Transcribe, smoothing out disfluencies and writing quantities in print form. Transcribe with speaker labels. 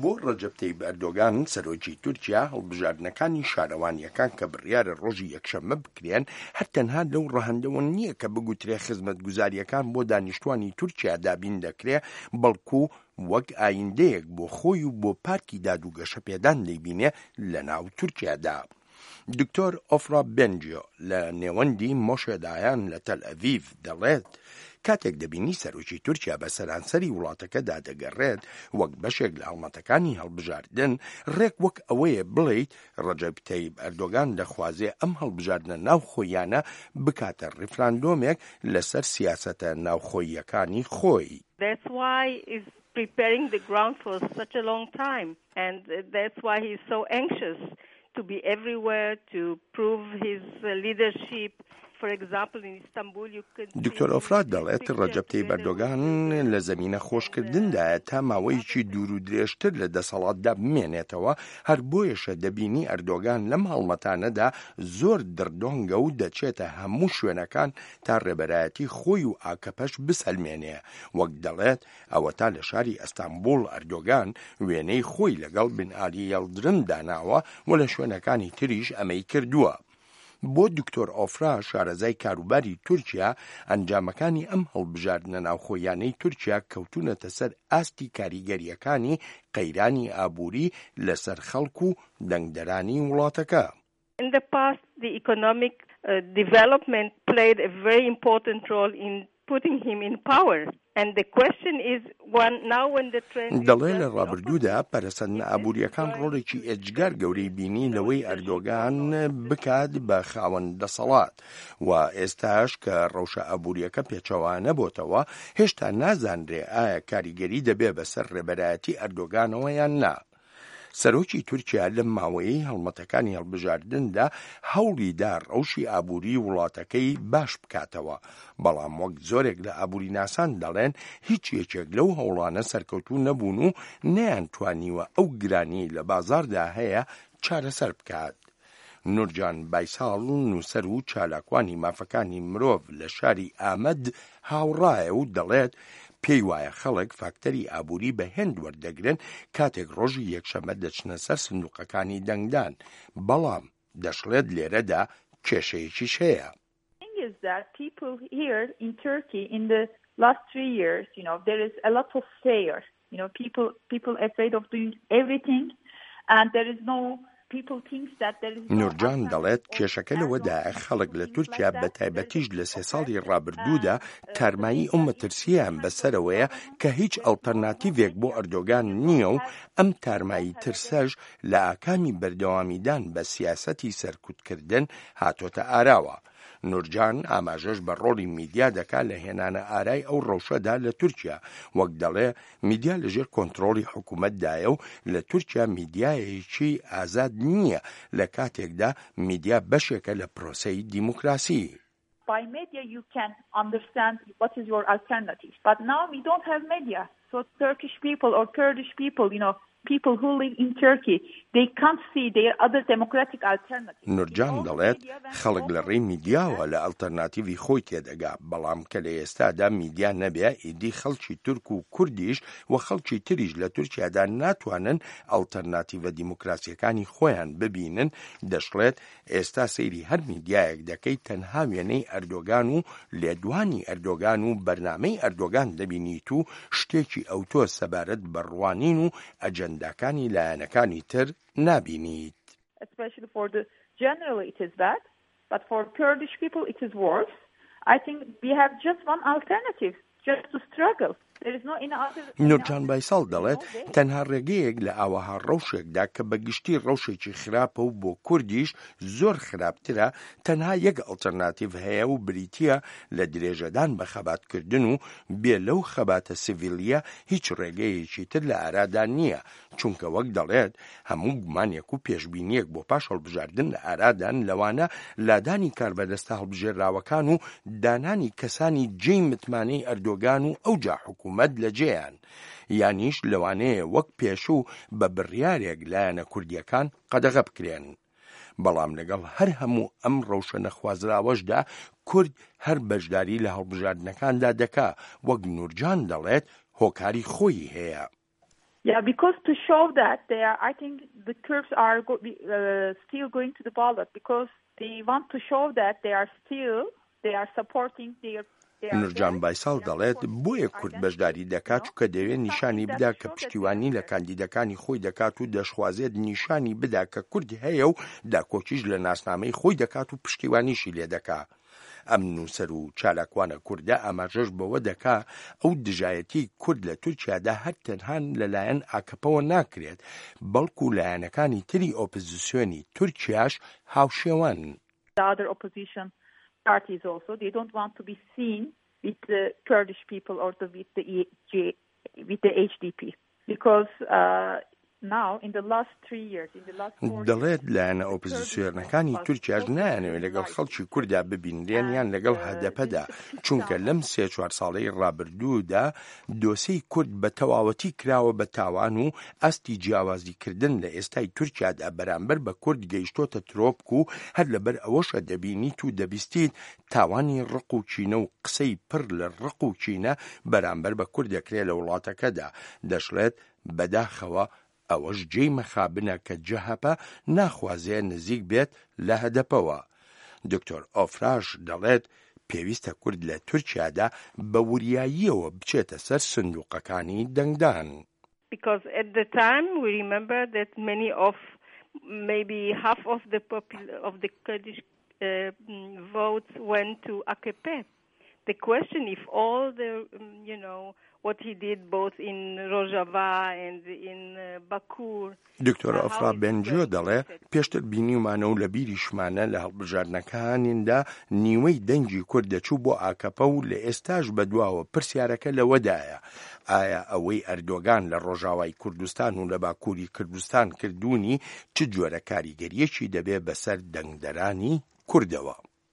Speaker 1: بۆ ڕەجەب تەیب ئەردۆگان، سەرۆکی تورکیا، هەڵبژاردنەکانی شارەوانییەکان کە بڕیارە ڕۆژی یەکشەممە بکرێن، هەر تەنها لەو ڕەهەندەوە نییە کە بگوترێ خزمەتگوزارییەکان بۆ دانیشتوانی تورکیا دابین دەکرێ، بەڵکو وەک ئایندەیەک بۆ خۆی و بۆ پارتی داد و گەشەپێدان دەیبینێ لەناو تورکیادا. دکتۆر ئۆفرا بێنجیۆ لە نێوەندی مۆشێ دایان لە تەلئەڤیڤ دەڵێت، کاتێک دەبینی سەرۆکی تورکیا بە سەرانسەری وڵاتەکەدا دەگەڕێت وەک بەشێک لە هەڵمەتەکانی هەڵبژاردن، ڕێک وەک ئەوەیە بڵێیت ڕەجەب تەیب ئەردۆگان دەخوازێ ئەم هەڵبژاردنە ناوخۆییانە بکاتە ڕیفراندۆمێک لەسەر سیاسەتە ناوخۆییەکانی خۆی.
Speaker 2: That's why is preparing the ground for such a long time and that's why he is so anxious to be everywhere to prove his leadership for example in Istanbul you can see
Speaker 1: دکتۆر ئۆفرات دەڵێت ڕەجەب تەیب ئەردۆگان لە زەمینە خۆشکردندایە تا ماوەیەکی دوور و درێژتر لە دەسەڵاتدا بمێنێتەوە، هەر بۆیەشە دەبینی ئەردۆگان لەم هەڵمەتانەدا زۆر دڕدۆنگە و دەچێتە هەموو شوێنەکان تا ڕێبەرایەتی خۆی و ئاکەپەش بسەلمێنێ، وەک دەڵێت ئەوەتا لە شاری ئەستانبوڵ ئەردۆگان وێنەی خۆی لەگەڵ بن ئالی یەڵدرم داناوە و لە شوێنەکانی تریش ئەمەی کردووە. بۆ دکتۆر ئۆفرا شارەزای کاروباری تورکیا، ئەنجامەکانی ئەم هەڵبژاردنە ناوخۆییانەی تورکیا کەوتوونەتە سەر ئاستی کاریگەرییەکانی قەیرانی ئابووری لەسەر خەڵک و دەنگدەرانی وڵاتەکە.
Speaker 2: In the past the economic development played a very important role in putting him in power and the question is one now when the trend is
Speaker 1: دەڵێ
Speaker 2: just
Speaker 1: لە
Speaker 2: the
Speaker 1: ڕابردوودا
Speaker 2: opposite.
Speaker 1: پەرەسەندنە
Speaker 2: If this is
Speaker 1: ئابوورییەکان
Speaker 2: going
Speaker 1: ڕۆڵێکی
Speaker 2: to
Speaker 1: ئێجگار گەورەی بینی لەوەی
Speaker 2: leadership
Speaker 1: ئەردۆگان
Speaker 2: or not.
Speaker 1: بکات بە خاوەن دەسەڵات و ئێستاش کە ڕەوشە ئابوورییەکە پێچەوانە بۆتەوە هێشتا نازانرێ ئایا کاریگەری دەبێ بەسەر ڕێبەرایەتی ئەردۆگانەوە یان نا. سەرۆکی تورکیا لەم ماوەیەی هەڵمەتەکانی هەڵبژاردندا هەوڵی دا ڕەوشی ئابووریی وڵاتەکەی باش بکاتەوە، بەڵام وەک زۆرێک لە ئابووریناسان دەڵێن هیچ یەکێک لەو هەوڵانە سەرکەوتوو نەبوون و نەیانتوانیوە ئەو گرانیەی لە بازاڕدا هەیە چارەسەر بکات. نورجان بایساڵ، نووسەر و چالاکوانی مافەکانی مرۆڤ لە شاری ئامەد هاوڕایە و دەڵێت، پێی وایە خەڵک فاکتەری ئابووری بە هێند وەردەگرن کاتێک ڕۆژی یەکشەممە دەچنە سەر سندوقەکانی دەنگدان، بەڵام دەشڵێت لێرەدا کێشەیەکیش هەیە.
Speaker 3: thing is that people here in Turkey in the last three years, you know, there is a lot of fear. You know, people people afraid of doing everything and there is no
Speaker 1: نورجان دەڵێت کێشەکە لەوەدایە خەڵک لە تورکیا بە تایبەتیش لە سێ ساڵی ڕابردوودا تارمایی ئەو مەترسییەیان بەسەرەوەیە کە هیچ ئەڵتەرناتیڤێک بۆ ئەردۆگان نییە و ئەم تارمایی ترسەش لە ئاکامی بەردەوامیدان بە سیاسەتی سەرکوتکردن هاتۆتە ئاراوە. نورجان ئاماژەش بە ڕۆڵی میدیا دەکا لە هێنانە ئارای ئەو ڕەوشەدا لە تورکیا، وەک دەڵێ میدیا لەژێر کۆنترۆڵی حکومەتدایە و لە تورکیا میدیایەکی ئازاد نییە لە کاتێکدا میدیا بەشێکە لە پرۆسەی دیموکراسی.
Speaker 3: By media you can understand what is your alternative but now we don't have media so Turkish people or Kurdish people you know people who live in Turkey they can't see their other democratic alternatives.
Speaker 1: نورجان دەڵێت، خەڵک لە ڕێی میدیاوە لە ئەڵتەرناتیڤی خۆی تێدەگا، بەڵام کە لە ئێستادا میدیا نەبێ ئیدی خەڵکی تورک و کوردیش و خەڵکی تریش لە تورکیادا ناتوانن ئەڵتەرناتیڤە دیموکراسییەکانی خۆیان ببینن، دەشڵێت، ئێستا سەیری هەر میدیایەک دەکەیت تەنها وێنەی ئەردۆگان و لێدوانی ئەردۆگان و بەرنامەی ئەردۆگان دەبینیت و شتێکی ئەوتۆ سەبارەت بە ڕوانین و ئەجەنداکانی لایەنەکانی تر نابینیت.
Speaker 3: Especially for the generally it is bad but for Kurdish people it is worse I think we have just one alternative just to struggle there is no any other
Speaker 1: نورجان بایساڵ دەڵێت، تەنها ڕێگەیەک لە ئاوەها ڕەوشێکدا کە بە گشتی ڕەوشێکی خراپە و بۆ کوردیش زۆر خراپترە، تەنها یەک ئەڵتەرناتیڤ هەیە و بریتییە لە درێژەدان بە خەباتکردن و بێ لەو خەباتە سیڤیلییە هیچ ڕێگەیەکی تر لە ئارادا نییە، چونکە وەک دەڵێت هەموو گومانێک و پێشبینییەک بۆ پاش هەڵبژاردن لە ئارادان لەوانە لادانی کاربەدەستە هەڵبژێرراوەکان و دانانی کەسانی جێی متمانەی ئەردۆگان و ئەوجا حکوومەت لە جێیان یانیش لەوانەیە وەک پێشوو بە بڕیارێک لایەنە کوردییەکان قەدەغە بکرێن. بەڵام لەگەڵ هەر هەموو ئەم ڕەوشە نەخوازراوەشدا کورد هەر بەشداری لە هەڵبژاردنەکاندا دەکا، وەک نورجان دەڵێت هۆکاری خۆیی هەیە.
Speaker 3: Yeah, because to show that they are, I think the Kurds are go, uh, still going to the ballot because they want to show that they are still they are supporting their
Speaker 1: نورجان بایساڵ دەڵێت، بۆیە کورد بەشداری دەکات چونکە دەیەوێت نیشانی بدا کە پشتیوانی لە کاندیدەکانی خۆی دەکات و دەشخوازێت نیشانی بدا کە کورد هەیە و داکۆکیش لە ناسنامەی خۆی دەکات و پشتیوانیشی لێ دەکا. ئەم نووسەر و چالاکوانە کوردە ئاماژەش بەوە دەکا ئەو دژایەتیی کورد لە تورکیادا هەر تەنها لەلایەن ئاکەپەوە ناکرێت، بەڵکو لایەنەکانی تری ئۆپزسیۆنی تورکیاش هاوشێوەن.
Speaker 3: The other opposition parties also they don't want to be seen with the Kurdish people or the with the with the HDP because uh, now in the last three years in the last four
Speaker 1: دەڵێت لایەنە ئۆپزسیۆنەکانی تورکیاش نایانەوێت لەگەڵ خەڵکی کوردا ببینرێن یان لەگەڵ هەدەپەدا چونکە لەم سێ چوار ساڵەی ڕابردوودا دۆسێی کورد بە تەواوەتی کراوە بە تاوان و ئاستی جیاوازیکردن لە ئێستای تورکیادا بەرامبەر بە کورد گەیشتۆتە ترۆپک و هەر لەبەر ئەوەشە دەبینیت و دەبیستیت تاوانی ڕق و کینە و قسەی پڕ لە ڕق و کینە بەرامبەر بە کورد دەکرێ لە وڵاتەکەدا. دەشڵێت بەداخەوە ئەوەش جێی مەخابنە کە جەهەپە ناخوازێ نزیک بێت لە هەدەپەوە. دکتۆر ئۆفراش دەڵێت پێویستە کورد لە تورکیادا بە وریاییەوە بچێتە سەر سندوقەکانی دەنگدان.
Speaker 2: Because at the time we remember that many of maybe half of the of the Kurdish votes went to AKP. The question if all the you know what he did both in Rojava and in Bakur.
Speaker 1: دکتۆر ئۆفرا بێنجیۆ دەڵێ پێشتر بینیومانە و لە بیریشمانە لە هەڵبژاردنەکانیندا نیوەی دەنگی کورد دەچوو بۆ ئاکەپە و لە ئێستاش بەدواوە پرسیارەکە لەوەدایە ئایا ئەوەی ئەردۆگان لە ڕۆژاوای کوردستان و لە باکووری کوردستان کردوونی چ جۆرە کاریگەریەکی دەبێ بەسەر دەنگدەرانی کوردەوە؟